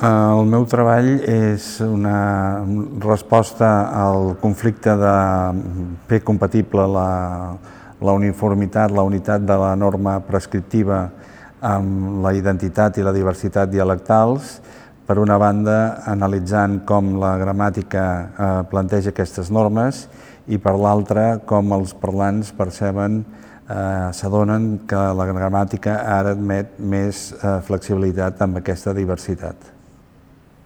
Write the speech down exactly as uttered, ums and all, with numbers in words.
El meu treball és una resposta al conflicte de fer compatible la, la uniformitat, la unitat de la norma prescriptiva amb la identitat i la diversitat dialectals, per una banda analitzant com la gramàtica eh, planteja aquestes normes i per l'altra com els parlants perceben, eh, s'adonen que la gramàtica ara admet més eh, flexibilitat amb aquesta diversitat.